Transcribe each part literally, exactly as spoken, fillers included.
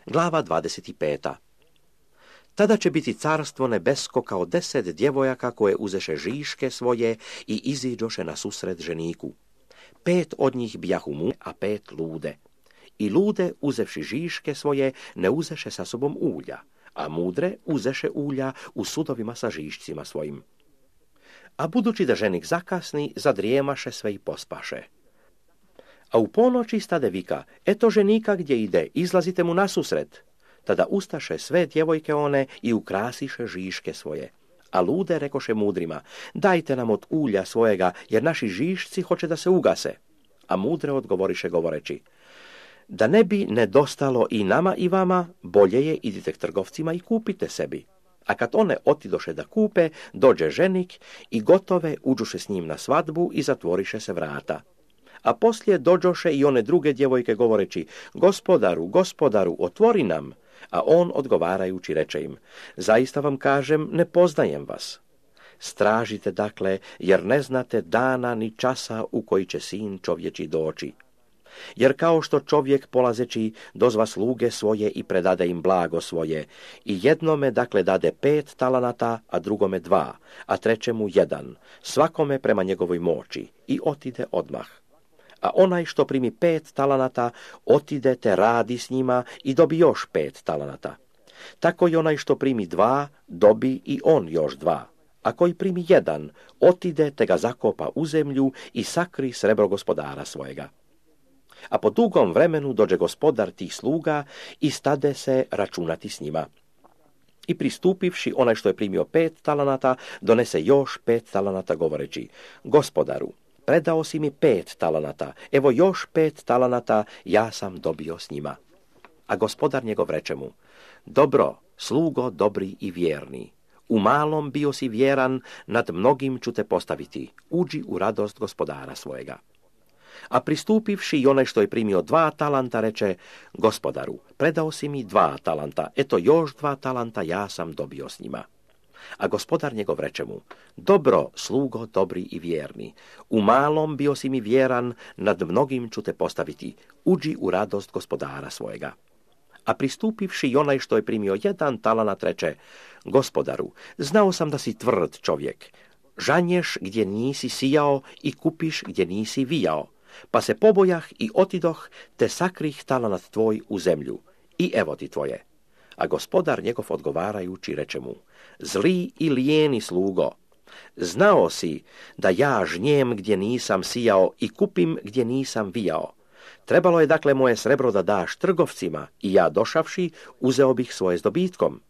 Glava dvadeset pet. Tada će biti carstvo nebesko kao deset djevojaka koje uzeše žiške svoje i iziđoše na susret ženiku. Pet od njih bijahu mu, a pet lude. I lude, uzevši žiške svoje, ne uzeše sa sobom ulja, a mudre uzeše ulja u sudovima sa žišcima svojim. A budući da ženik zakasni, zadrijemaše sve i pospaše. A u ponoći stade vika, eto ženika gdje ide, izlazite mu nasusret. Tada ustaše sve djevojke one i ukrasiše žiške svoje. A lude rekoše mudrima, dajte nam od ulja svojega, jer naši žišci hoće da se ugase. A mudre odgovoriše govoreći, da ne bi nedostalo i nama i vama, bolje je idite k trgovcima i kupite sebi. A kad one otidoše da kupe, dođe ženik i gotove uđuše s njim na svadbu i zatvoriše se vrata. A poslije dođoše i one druge djevojke govoreći, gospodaru, gospodaru, otvori nam. A on odgovarajući reče im, zaista vam kažem, ne poznajem vas. Stražite dakle, jer ne znate dana ni časa u koji će sin čovječi doći. Jer kao što čovjek polazeći dozva sluge svoje i predade im blago svoje, i jednome dakle dade pet talanata, a drugome dva, a trećemu jedan, svakome prema njegovoj moći, i otide odmah. A onaj što primi pet talanata, otide te radi s njima i dobi još pet talanata. Tako i onaj što primi dva, dobi i on još dva. A koji primi jedan, otide te ga zakopa u zemlju i sakri srebro gospodara svojega. A po dugom vremenu dođe gospodar tih sluga i stade se računati s njima. I pristupivši onaj što je primio pet talanata, donese još pet talanata govoreći, gospodaru, predao si mi pet talanata, evo još pet talanata ja sam dobio s njima. A gospodar njegov reče mu, dobro, slugo dobri i vjerni, u malom bio si vjeran, nad mnogim ću te postaviti, uđi u radost gospodara svojega. A pristupivši i onaj što je primio dva talanta reče, gospodaru, predao si mi dva talanta, eto još dva talanta ja sam dobio s njima. A gospodar njegov reče mu, dobro, slugo dobri i vjerni, u malom bio si mi vjeran, nad mnogim ću te postaviti, uđi u radost gospodara svojega. A pristupivši i onaj što je primio jedan talanat reče, gospodaru, znao sam da si tvrd čovjek, žanješ gdje nisi sijao i kupiš gdje nisi vijao, pa se pobojah i otidoh, te sakrih talanat tvoj u zemlju, i evo ti tvoje. A gospodar njegov odgovarajući reče mu, zli i lijeni slugo, znao si da ja žnjem gdje nisam sijao i kupim gdje nisam vijao. Trebalo je dakle moje srebro da daš trgovcima i ja došavši uzeo bih svoje s dobitkom.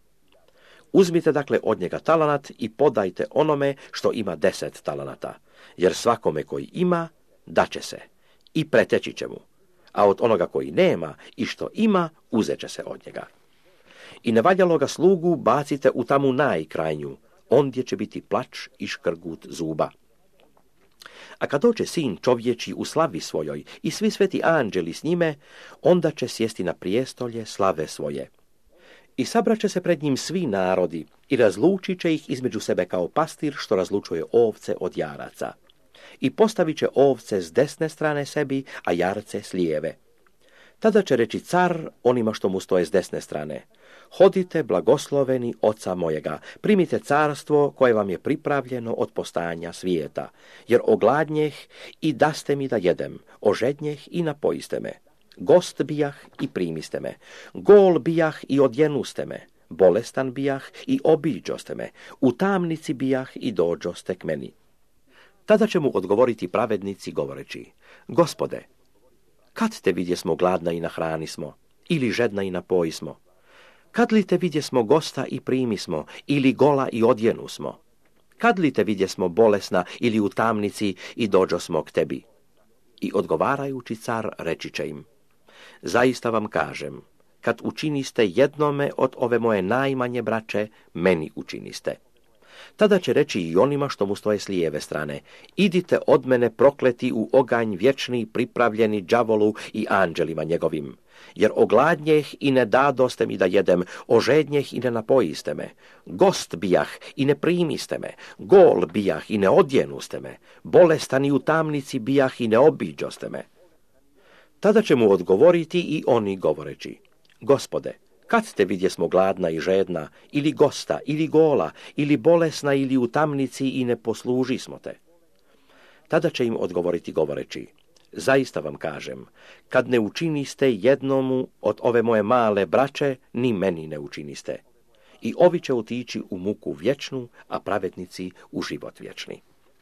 Uzmite dakle od njega talanat i podajte onome što ima deset talanata, jer svakome koji ima, daće se i preteći će mu, a od onoga koji nema i što ima, uzet će se od njega. I nevaljaloga slugu bacite u tamu najkrajnju, ondje će biti plač i škrgut zuba. A kad dođe sin čovječi u slavi svojoj i svi sveti anđeli s njime, onda će sjesti na prijestolje slave svoje. I sabraće se pred njim svi narodi i razlučit će ih između sebe kao pastir što razlučuje ovce od jaraca. I postavit će ovce s desne strane sebi, a jarce s lijeve. Tada će reći car onima što mu stoje s desne strane, hodite blagosloveni oca mojega, primite carstvo koje vam je pripravljeno od postajanja svijeta, jer ogladnjeh i daste mi da jedem, ožednjeh i napojiste me, gost bijah i primiste me, gol bijah i odjenuste me, bolestan bijah i obiđoste me, u tamnici bijah i dođoste k meni. Tada će mu odgovoriti pravednici govoreći, gospode, kad te vidjesmo gladna i nahranismo, ili žedna i napojismo? Kad li te vidjesmo gosta i primismo, ili gola i odjenusmo? Kad li te vidjesmo bolesna ili u tamnici i dođosmo k tebi? I odgovarajući car reći će im, zaista vam kažem, kad učiniste jednome od ove moje najmanje braće, meni učiniste. Tada će reći i onima što mu stoje s lijeve strane, idite od mene prokleti u oganj vječni pripravljeni đavolu i anđelima njegovim, jer ogladnjeh i ne dadoste mi da jedem, ožednjeh i ne napojiste me, gost bijah i ne primiste me, gol bijah i ne odjenuste me, bolestan i u tamnici bijah i ne obiđoste me. Tada će mu odgovoriti i oni govoreći, Gospode, kad te vidjesmo gladna i žedna, ili gosta, ili gola, ili bolesna, ili u tamnici i ne posluži smo te? Tada će im odgovoriti govoreći, zaista vam kažem, kad ne učiniste jednomu od ove moje male braće, ni meni ne učiniste. I ovi će otići u muku vječnu, a pravednici u život vječni.